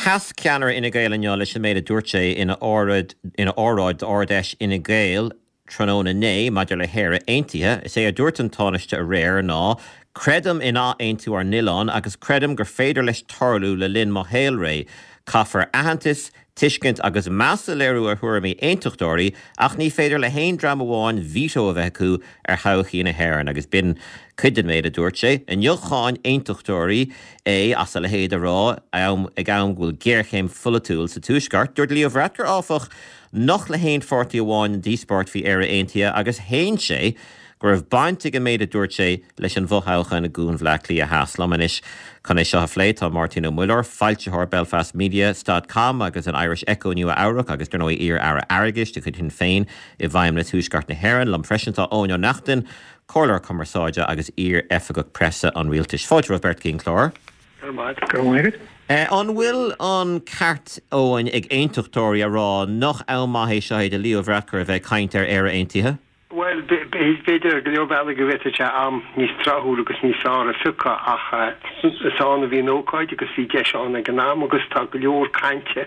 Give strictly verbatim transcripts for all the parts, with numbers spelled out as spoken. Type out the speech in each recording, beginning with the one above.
Sheas ceannaire Fhine Gael inniu leis an méid a dúirt sé ina óráid ina óráid d'Ard-Fheis Fhine Gael tráthnóna inné maidir le hÉire Aontaithe. Is é a dúirt an Tánaiste aréir ná Creidim in athaontú ár n-oileáin agus creidim gur féidir leis tarlú le linn mo shaolré. Caithfear aitheantas, tuiscint agus meas a léiriú ar thuairimí aontachtóirí ach ní féidir le haon dream amháin veto a bheith acu ar thodhchaí na hÉireann agus b'in cuid den méid a dúirt sé. Inniu cháin aontachtóirí é as a leithéid a rá am ag am go bhfuil géarchéim pholaitiúil sa Tuaisceart. Dúirt Leo Varadkar áfach nach le haon pháirtí amháin an díospóireacht faoi Éire Aontaithe agus shéan sé go raibh baint ag an méid a dúirt sé leis an bhfothoghchán i gCuan Bhaile Átha Cliath Theas. Liom anois chun é seo a phlé tá Máirtín Ó Muilleoir, foilsitheoir Belfast Media dot com agus an Irish Echo Nua Eabhrac agus dar ndóigh iar-aire airgeadais de chuid Shinn Féin i bhFeidhmeannas Thuaisceart na hÉireann. Liom freisin tá Eoin Ó Neachtain, comhairleoir cumarsáide agus iar-oifigeach preasa an rialtais. Fáilte romhaibh beirt chuig an chlár. Go raibh maith agat. An bhfuil an ceart Eoin ag aontachtóirí a rá nach am maith é seo é do Leo Varadkar a bheith ag caint ar Éire Aontaithe? Bhuel, b'fhéidir go leor bealaí go bhféadfadh sé am níos tráthúil agus níos fearr a phiocadh ach is ann a bhí an ócáid agus bhí deis ann ag an am agus tá go leor cainte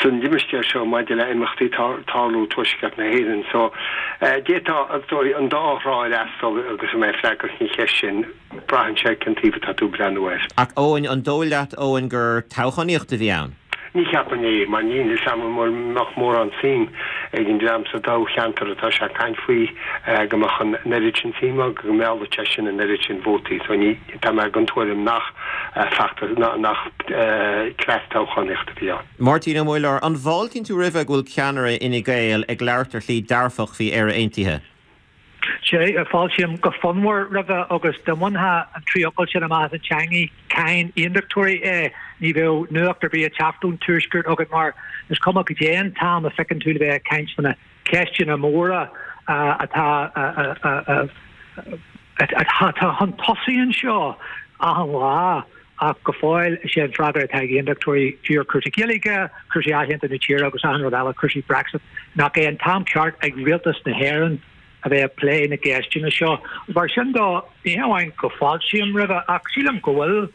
san limistéar seo maidir le imeachtaí tarlú Tuaisceart na hÉireann. So d'fhéadfadh an dá thrá a fhreastal agus mé ag freagairt an cheist sin, braitheann sé cén taobh atá tú ag breathnú air. Ach Eoin, an dóigh leat Eoin gur toghchánaíocht a bhí ann? Ní cheapaim é, mar níl fhios agam an mbeadh mórán suim ag an dream sa toghcheantar atá sé ag caint faoi go mbeadh an oiread sin suim acu go meallfadh sé sin an oiread sin vótaí. So ní, tá mé den tuairim nach feachtas, nach cleas toghchánaíochta a bhí ann. Máirtín Ó Muilleoir, an bhfáiltíonn tú roimhe go bhfuil ceannaire Fhine Gael ag labhairt ar shlí dearfach faoi Éire Aontaithe? Sea, fáiltím go fonnmhar roimhe agus dá mbainfeá an trí fhocal sin amach as an teangaidh, cháin aontachtóirí é, ní bheadh nuacht ar bith ag teacht ón Tuaisceart agat mar is cuma cad é an t-am a phiocann tú le bheith ag caint faoi na ceisteanna móra atá atá chun tosaigh anseo achan lá ach go fóill is é an freagra atá ag aontachtóirí fiú ar cúrsaí Gaeilge, cúrsaí athaontú na tíre agus achan rud eile, cúrsaí Brexit, nach é an t-am ceart ag rialtas na hÉireann a bheith ag plé na gceisteanna seo. Mar sin de, ní hamháin go bhfáiltím roimhe ach sílim go bhfuil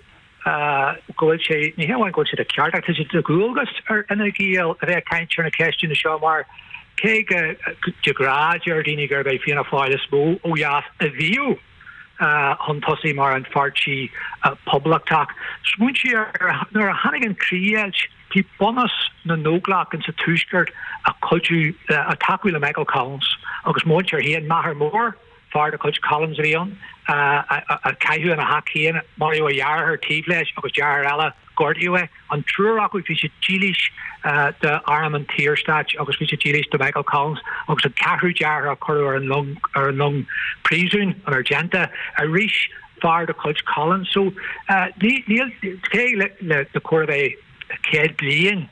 go bhfuil sé, ní hamháin go bhfuil sé de cheart ach tá sé de dhualgas ar Fhine Gael a bheith ag caint ar na ceisteanna seo mar cé go de ghnáth deir daoine gurb é Fianna Fáil is mó ó dheas a bhíodh chun tosaigh mar an pháirtí poblachtach. Smaointigh ar nuair a tháinig an chríochdheighilt, bhí bunús na nÓglach insa Tuaisceart ag cuidiú, ag tacú le Michael Collins agus mo mhuintir féin, m'athair mór, fear de chuid Collins a bhí ann, a caitheadh ina theach féin, maraíodh a dheartháir taobh leis agus deartháir eile, gortaíodh é. An triúr acu bhí siad dílis d'arm an tSaorstáit agus bhí siad dílis do Michael Collins agus an ceathrú deartháir a cuireadh ar an long ar an long príosúin, an Argenta, arís fear de chuid Collins. So ní níl cé le le chóir a bheith céad bliain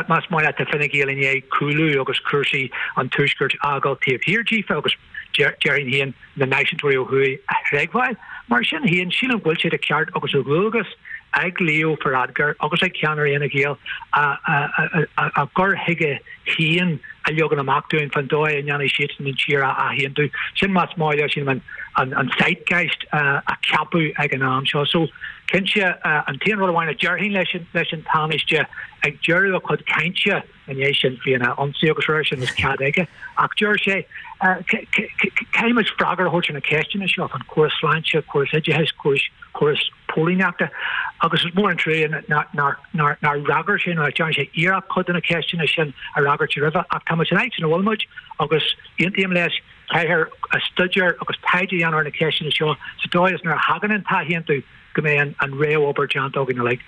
más maith leat tá Fine Gael i ndiaidh cúlú agus cúrsaí an Tuaiscirt a fhágáil taobh thiar díofa agus déarfainn féin na náisiúntóirí ó thuaidh a thréigbheáil. Mar sin féin, sílim go bhfuil sé de cheart agus de dhualgas ag Leo Varadkar agus ag ceannairí Fhine Gael a gcur chuige féin a leagan amach dúinn fán dóigh a ndéanfaidh siadsan an tír a athaontú. Sin más maith leo, sílim, an zeitgeist a ceapadh ag an am seo. So, cinnte, an t-aon rud amháin a déarfainn leis an Tánaiste ag deireadh a chuid cainte i ndiaidh sin faoina ionsaí agus roimhe sin is cead aige ach deir sé caithfidh muid freagra a thabhairt ar na ceisteanna seo, an córas sláinte, córas oideachais, córas córas póilíneachta agus is mór an trua nár fhreagair sé nó nach ndearna sé iarracht cuid de na ceisteanna sin a fhreagairt roimhe ach tá muid san áit ina bhfuil muid agus aontaím leis caithfear staidéar agus taighde a dhéanamh ar na ceisteanna seo sa dóigh is nuair a thagann an t-athaontú go mbeidh an réamhobair déanta againn uilig.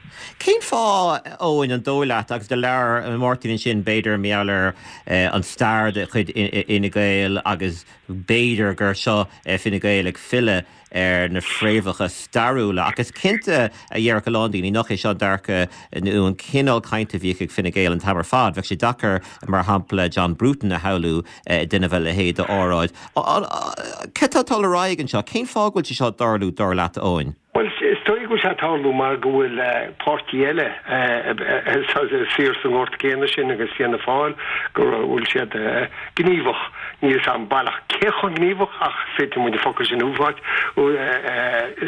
Cén fáth, Eoin, an dóigh leat, agus do labhair Máirtín ansin b'fhéidir mar gheall ar an stair de chuid Fhine Gael agus b'fhéidir gur seo Fine Gael ag filleadh ar na fréamhacha stairiúla ach is cinnte a déarfadh a lán daoine nach é seo an dearcadh nó an cineál cainte a bhíodh ag Fine Gael an t-am ar fad. Bheadh sé deacair, mar shampla, John Bruton a shamhlú ag déanamh a leithéid d'óráid. Cad tá ag dul ar aghaidh anseo? Cén fáth go bhfuil sé seo ag tarlú, dar leat, Eoin? Bhuel, Is dóigh go bhfuil sé ag tarlú mar go bhfuil páirtí eile saor sa ngort céanna sin agus Fianna Fáil go bhfuil siad gníomhach, níl 'fhios a'm baileach cé chomh gníomhach ach féadfaidh muid an focal sin a úsáid,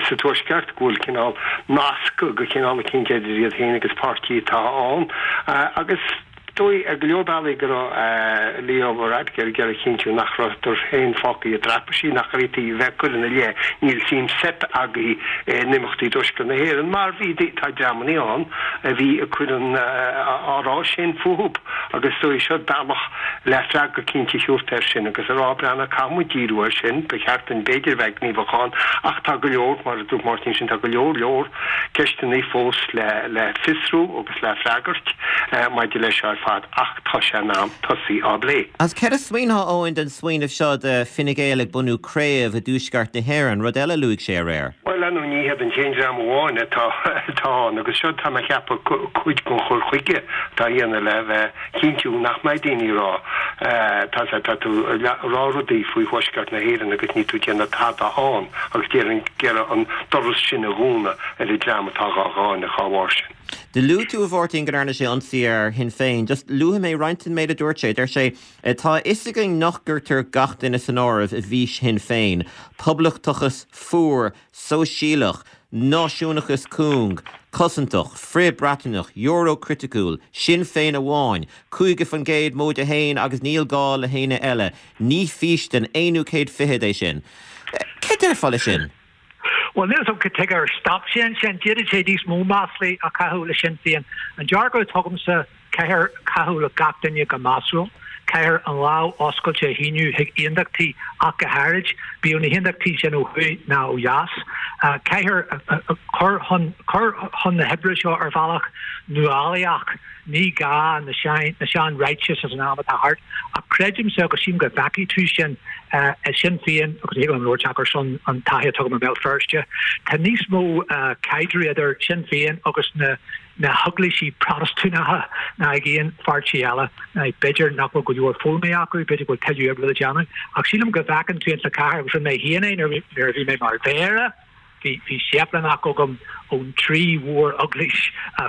sa Tuaisceart, go bhfuil cineál nasc go cineál eicínt idir iad féin agus páirtí atá ann agus. Dóigh ar go leor bealaí go raibh Leo Varadkar ag iarraidh a chinntiú nach rabhadar féin fágtha i dtraipisí, nach bhféadfaí a bheith ag cur ina leith níl suim seip agaibh in imeachtaí i dTuaisceart na hÉireann mar bhí tá dreamanna ann a bhí ag cur an á rá sin fúthu agus is dóigh seo bealach le freagra cinnte a thabhairt air sin agus a rá breathnaigh caithfidh muid díriú air sin, ba cheart dúinn b'fhéidir a bheith gníomhach ann ach tá go leor, mar a dúirt Máirtín sin, tá go leor leor ceisteanna fós le le fiosrú agus le freagairt maidir leis seo ar fad ach tá sé in am tosaí á bplé. Agus céard a smaoinfeá, Eoin, den smaoineamh seo de Fine Gael ag bunú craobh i dTuaisceart na hÉireann, rud eile a luaigh sé aréir? Bhuel, ar ndóigh ní hiad an t-aon dream amháin atá atá ann agus seo tá mé a cheapadh cuid den chur chuige atá á dhéanamh le bheith chinntiú nach mbeidh daoine ag rá tá tá tú ag rá rudaí faoi Thuaisceart na hÉireann agus níl tú ag déanamh tada ann agus déarfainn ag iarraidh an doras sin a dhúnadh ar an dream atá dhá cháineadh dá bharr sin. Do luaigh tú, a Mháirtín, go ndearna sé ionsaí ar Shinn Féin. Just luafaidh mé roinnt den méid a dúirt sé. Deir sé, Tá a fhios againn nach gcuirtear gach duine san áireamh i bhfís Shinn Féin, poblachtachas fuar, sóisialach, náisiúnachas cúng, cosantach, frith-Breataineach, Euro-chriticiúil, Sinn Féin amháin, caoga faoin gcéad móide haon agus níl gá le héinne eile. Ní fís den aonú céad fichead é sin. Céard a déarfá leis sin? Bhuel, níl 'fhios a'm cad tuige ar stop sé ansin. D'fhéadfadh sé níos mó maslaí a chaitheamh le Sinn Féin. An dearcadh atá agamsa, caithfear caitheamh le gach duine go measúil. Caithfear an lámh oscailte a shíneadh chuig aontachtaí ach go háirid, bíodh na haontachtaí sin ó thuaidh ná ó dheas. Caithfear cur chun cur chun na hoibre seo ar bhealach nuálaíoch. Ní gá na sean-ráitis as an am atá thart, ach creidimse, agus sílim go bhfeicfidh tú sin i Sinn Féin agus thig liom labhairt ar son an taithí atá agam i mBéal Feirste, tá níos mó caidrimh idir Sinn Féin agus na na heaglaisí Protastúnacha ná ag aon pháirtí eile. B'fhéidir nach bhfuil go leor foghlamtha acu, b'fhéidir go bhfuil tuilleadh oibre le déanamh, ach sílim go bhfeiceann tú insa chathair, agus rinne mé féin é nuair a bhí mé mar mhéara, Bhí bhí séiplíneach agam ón trí mhór-eaglais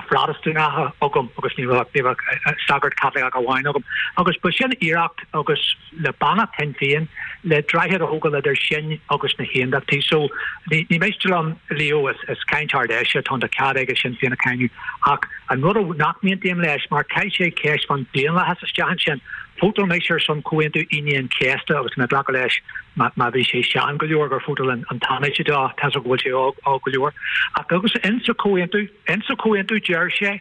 Phrotastúnacha agam agus ní raibh ní raibh sagart Caitliceach amháin agam. Agus ba sin iarracht agus le beannacht Shinn Féin le droichead a thógáil idir sinn agus na hAondachtaí. So ní ní miste liom Leo is is caint Ard-Fheise atá ann tá cead aige Sinn Féin a cháineadh ach an rud nach n-aontaím leis mar chaith sé ceist fan daonlathas isteach ansin Vótáil mise ar son Comhaontú Aoine an Chéasta agus tá mé ag glacadh leis má bhí sé sean go leor gur vótáil an Tánaiste dó, tá 's agam go bhfuil sé óg óg go leor. Ach agus insa chomhaontú, insa chomhaontú deir sé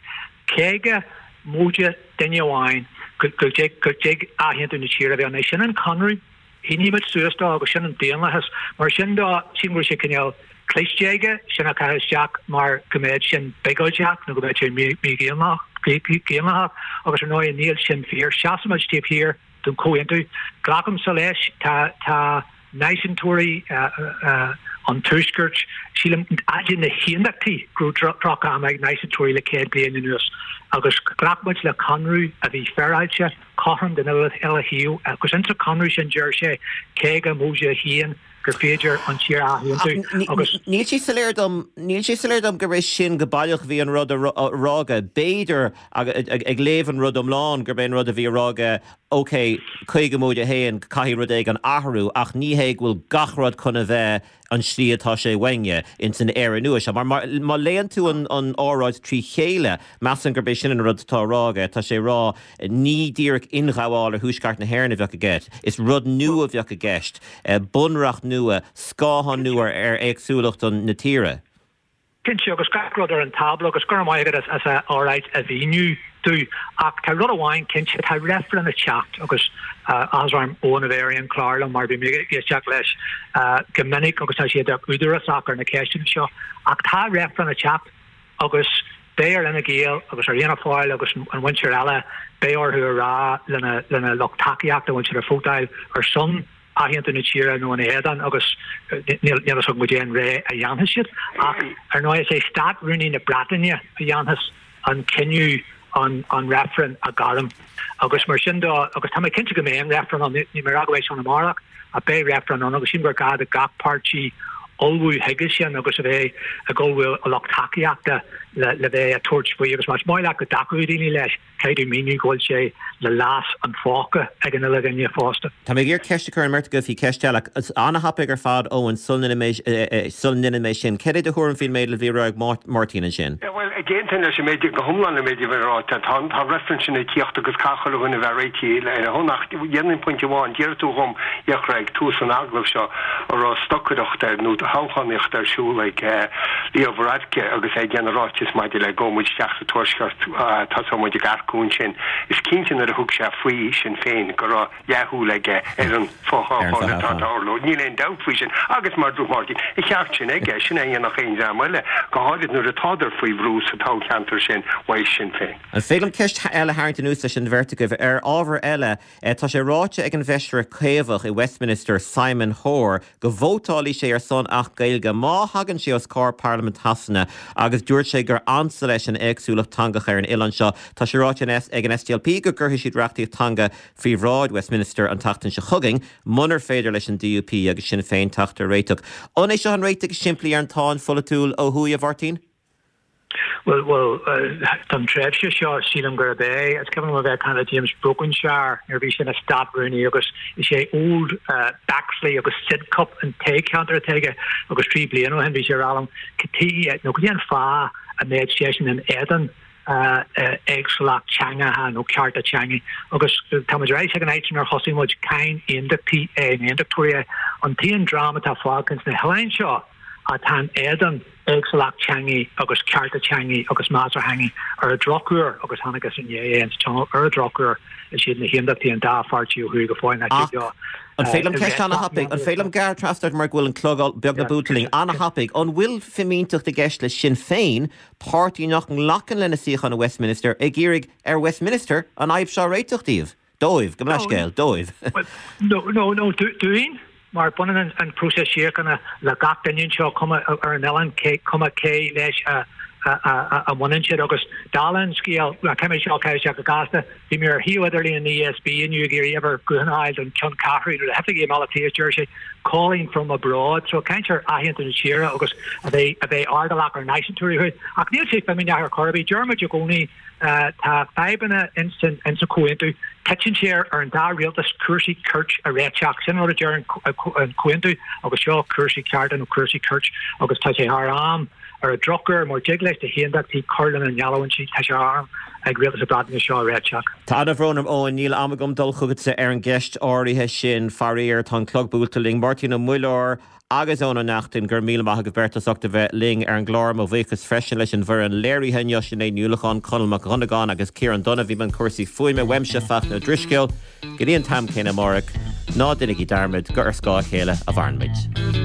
caoga móide duine amháin go go dtig go dtig athaontú na tíre a bheith ann. Sin an conradh. Shínigh muid suas dó agus sin an daonlathas. Mar sin dó, sílim go bhfuil sé cineál cliste aige sin a chaitheamh isteach mar go mbeadh sin biogóideach nó go mbeadh sé mídhaonlathach agus ar ndóigh níl sin fíor. Seasaimid taobh thiar den chomhaontú. Glacaimse leis, tá tá náisiúntóirí an Tuaiscirt, sílim, idir na haondachtaí go raibh droch-am ag náisiúntóirí le céad bliain anuas agus ghlac muid le conradh a bhí féaráilte, cothrom don uile thaobh agus insa chonradh sin deir sé caoga móide a haon gur féidir an tír a athaontú agus. Níl sé soiléir dom, níl sé soiléir dom gurb é sin go baileach a bhí an rud a rá aige. B'fhéidir, ag léamh an rud iomlán, gurb é an rud a bhí a rá aige, ok, caoga móide a haon, caithfidh rud éigin athrú, ach ní hé go bhfuil gach rud chun a bheith an tslí atá sé uainne ins an Éire nua seo. Mar má léann tú an óráid trí chéile, measaim gurb é sin an rud atá á rá aige. Tá sé ag rá, ní díreach ionghabháil ar Thuaisceart na hÉireann a bheadh i gceist, is rud nua a bheadh i gceist, bunreacht nua, scáthán nua ar éagsúlacht na tíre. Cinnte, agus gach rud ar an tábla, agus go raibh maith agat as an óráid a mhíniú domh. Ach tá rud amháin cinnte, tá reifreann ag teacht agus áthas orm Eoin a bheith ar aon chlár liom mar bhí mé ag éisteacht leis go minic agus tá sé údarásach ar na ceisteanna seo. Ach tá reifreann ag teacht agus beidh ar Fhine Gael agus ar Fhianna Fáil agus an mhuintir eile, beidh orthu a rá lena lena lucht tacaíochta, an bhfuil siad ag vótáil ar son athaontú na tíre nó ina éadan agus níl a fhios agam goidé an rogha a dhéanfaidh siad ach ar ndóigh is é Stát-Rúnaí na Breataine a dhéanfas an cinneadh an an reifreann a ghairm agus mar sin de agus tá mé cinnte go mbeidh an reifreann ann, níl mé ag rá go mbeidh sé ann amárach ach beidh reifreann ann agus sílim gur gá do gach páirtí ullmhú chuige sin agus a bheith ag ullmhú a lucht tacaíochta le bheith ag tabhairt faoi agus más maith leat go dtacódh daoine leis, caithfidh tú míniú go bhfuil sé le leas an phóca ag an uile dhuine fosta. Tá mé ag iarraidh ceist a chur ar an mbeirt agaibh faoi cheist eile. An-thapaidh ar fad Eoin sula ndéanann mé sin. Cad é do thuairim faoin méid a bhí á rá ag Máirtín ansin? Bhuel, d'aontóinn leis an méid go hiomlán an méid a bhí ráite. Tá an reifreann sin ag tíocht agus caithfidh chuile dhuine a bheith réitithe lena shon ach dhéanfainn pointe amháin, d'iarr tú dhom, a Fhiachra, ag tús an agallaimh seo an raibh stocaireacht ar nó toghchánaíocht ar siúl ag Leo Varadkar agus é ag déanamh ráiteas maidir le gabhfaidh muid isteach sa Tuaisceart, tosóidh muid ag earcú ansin. Is cinnte nuair a thug sé faoi Sinn Féin go raibh leathshúil aige ar an fothoghchán atá ag tarlú. Níl aon dabht faoi sin. Agus mar a dúirt Máirtín, a cheart sin aige, sin é a dhéanfadh aon dream eile, go háirid nuair atádar faoi bhrú sa toghcheantar sin uaidh Sinn Féin. An féidir liom ceist eile a tharraingt anuas leis an bheirt agaibh? Ar ábhar eile, tá sé ráite ag an bhfeisire Caomhach i Westminster, Simon Hoare, go vótálfaidh sé ar son Acht Gaeilge má thagann sé os comhair Parlaimint Shasana agus dúirt sé gur ansa leis an éagsúlacht teangacha ar an oileán seo. Tá sé ráite ag an SDLP go gcuirfidh siad reachtaíocht teanga faoi bhráid Westminster an tseachtain seo chugainn munar féidir leis an DUP agus Sinn Féin teacht ar réiteach. An é seo an réiteach is simplí ar an tsáinn pholaitiúil ó thuaidh, a Mháirtín? Bhuel, bhuel, don tréimhse seo sílim gurb é. Is cuimhin liom a bheith ag caint le James Brokenshire nuair a bhí sé ina Stát-Rúnaí agus is é Old Bexley agus Sidcup an toghcheantar atá aige agus trí bliana ó shin bhí sé ag rá liom cad chuige nó cad é an fáth a mbeadh seisean in éadan éagsúlacht teangacha nó cearta teanga agus táimid ar ais ag an áit inar thosaigh muid, cáin aontachtaí é nó aontachtóirí é an t-aon dream atá fágtha ins na hoileáin seo atá in éadan éagsúlacht teanga agus cearta teanga agus meas ar theanga ar an drochuair agus chonacthas inné é ins Tionól ar an drochuair is iad na haontachtaí an dá pháirtí ó thuaidh go fóill nach dtig leo An féidir liom ceist an-thapaidh, an féidir liom gearradh trasna ort mar go bhfuil an clog beagnach buailte linn, an-thapaidh, an bhfuil fimínteacht i gceist le Sinn Féin, páirtí nach nglacann lena suíochán i Westminster, ag iarraidh ar Westminster an fhadhb seo a réiteach díobh? Dóibh, gabh mo leithscéal, dóibh. No, no, no, dúinn, mar baineann an próiseas síochána le gach duine anseo, cuma ar an oileán, cuma cé leis a a mbaineann siad. Agus dála an scéil, caithfidh mé seo a chur isteach go gasta, bhí mé ar shuíomh idirlín an ESB inniu ag iarraidh uimhir gutháin a fháil don cheann ceathrú nó le hoifigí i mBaile Átha Cliath, deir sé calling from abroad. So caint ar athaontú na tíre agus a bheith a bheith airdeallach ar náisiúntóirí thuaidh. Ach níl sé fimíneach ar chor ar bith. Deir muid i gcónaí tá fadhbanna insan chomhaontú. Titeann sé ar an dá rialtas cúrsaí cirt a réiteach. Sin rud a deir an comhaontú agus seo cúrsaí cearta nó cúrsaí cirt agus tá sé thar am ar an drochuair mura dtig leis na haontachtaí cur lena ngeallúintí tá sé thar am ag rialtas na Breataine seo a réiteach. Tá an-bhrón orm Eoin, níl am agam dul chugatsa ar an gceist áirithe sin, faraor, tá an clog buailte linn. Máirtín Ó Muilleoir agus Eoin Ó Neachtain, go raibh míle maith agaibh beirt as ucht a bheith linn ar an gclár. Mo bhuíochas freisin leis an bhfoireann léirithe inniu, Sinéad Ní Uallacháin, Conall Mac Dhonnagáin agus Ciarán Dunne a bhí i mbun cúrsaí fuaime, uaimse Fachtna Ó Drisceoil. Go dtí an t-am céanna amárach, ná déanaigí dearmad gur ar scáth a chéile a mhaireann muid.